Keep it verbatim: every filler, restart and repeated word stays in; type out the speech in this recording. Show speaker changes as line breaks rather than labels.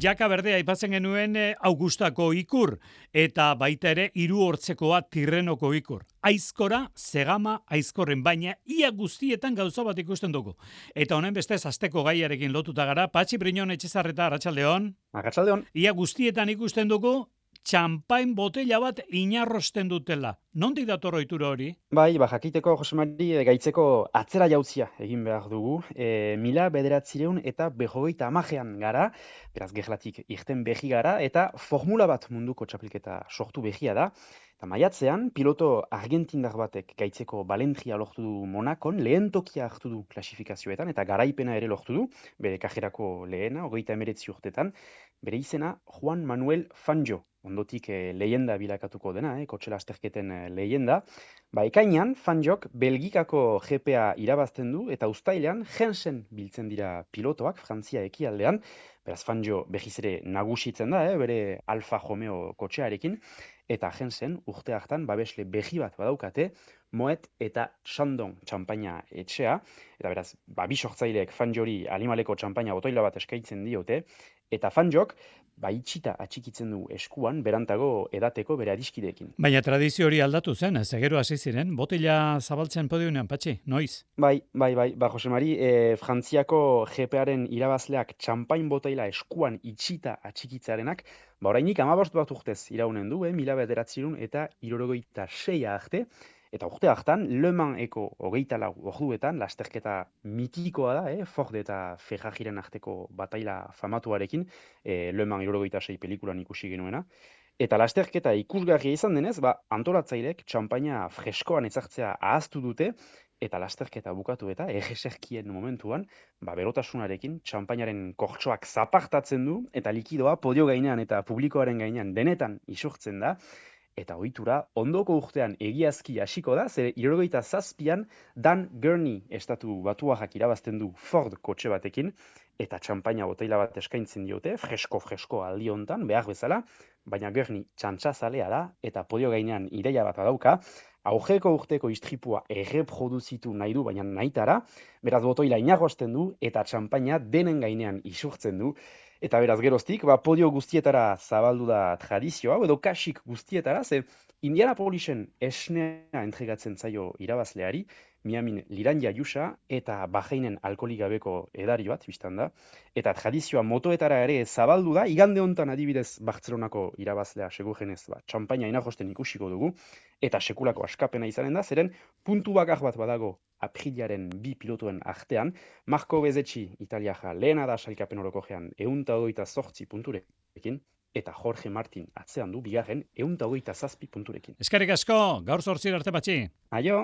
Jaka berdea aipatzen genuen eh, Augustako ikur, eta baita ere hiru hortzekoa Tirrenoko ikur. Aizkora, zegama, aizkorren, baina ia guztietan gauza bat ikusten dugu. Eta honen bestez asteko gaiarekin lotuta gara, Patxi Briñon Etxezarreta, arratsaldeon.
Arratsaldeon.
Ia guztietan ikusten dugu, txampain botella bat inarrosten dutela. Nondik dator ohitura hori?
Bai, ba, jakiteko, Jose Mari, e, gaitzeko atzera jautzia egin behar dugu. E, mila bederatzireun eta behogeita amajean gara, beraz gerlatik irten behi gara, eta formula bat munduko txapelketa sortu behia da. Eta maiatzean, piloto argentindar batek gaitzeko balentria lortu du Monakon, lehen tokia hartu du klasifikazioetan, eta garaipena ere lortu du, bere kajerako lehena, hogeita emeretzi urtetan, bere izena Juan Manuel Fangio, ondotik eh, leyenda bilakatuko dena, eh, kotxe lasterketen eh, leyenda. Ba, ekainean, Fangiok Belgikako G P A irabazten du, eta uztailean Jensen biltzen dira pilotoak, Frantzia ekialdean, beraz Fangio behiz ere nagusitzen da, eh, bere Alfa Romeo kotxearekin, eta Jensen urte hartan babesle behi bat badaukate, Moet eta Chandon txampaina etxea, eta beraz, ba, bi sortzaileek Fangiori animaleko txampaina botoila bat eskaintzen diote, eta Fangiok ba, itxita atxikitzen du eskuan, berantago edateko bere adiskideekin.
Baina tradizio hori aldatu zen, ez egero hasi ziren, botila zabaltzen podiunean, Patxi, noiz?
Bai, bai, bai, ba, Jose Mari, e, Frantziako G P A-ren irabazleak txampain botaila eskuan itxita atxikitzarenak, ba, orainik hamabost bat urtez iraunen du, eh, mila bederatzirun eta hirurogeita seia arte, eta urte hartan, Le Manseko hogeita lau orduetan, lasterketa mitikoa da, eh, Ford eta Ferrariren arteko bataila famatuarekin, eh, Le Mans hirurogeita sei pelikulan ikusi genuena, eta lasterketa ikusgarria izan denez, ba, antolatzailek txampaina freskoan ezartzea ahaztu dute, eta lasterketa bukatu eta egeserkien momentuan, ba, berotasunarekin txampainaren kortsoak zapartatzen du, eta likidoa podio gainean eta publikoaren gainean denetan isurtzen da, eta ohitura ondoko urtean egiazki hasiko da, zer hirurogeita zazpian Dan Gurney estatu batuarrak irabazten du Ford kotxe batekin, eta txampaina boteila bat eskaintzen diote, fresko-fresko aldi hontan, behar bezala, baina Gurney txantxazalea da, eta podio gainean ideia bat badauka, aurreko urteko istripua erreproduzitu nahi du, baina nahitara, beraz botoila inarrosten du, eta txampaina denen gainean isurtzen du, eta beraz geroztik, ba, podio guztietara zabaldu da tradizio hau, edo kasik guztietara, ze Indianapolisen esnea entregatzen zaio irabazleari, Miamin Lirandia Jusa eta Bahreinen alkoholik gabeko edari bat, biztan da, eta tradizioa motoetara ere zabaldu da, igande hontan adibidez Bartzelonako irabazlea segurenez, ba, txampaina inarrosten ikusiko dugu, eta sekulako askapena izanen da, zeren puntu bakar bat badago aprilaren bi pilotuen artean, Marco Bezzecchi Italiaja lehena da sailkapen orokorrean ehun eta hogeita zortzi punturekin, eta Jorge Martin atzean du bigarren ehun eta hogeita zazpi punturekin.
Eskerrik asko, gaur zortzira arte, Patxi.
Aio!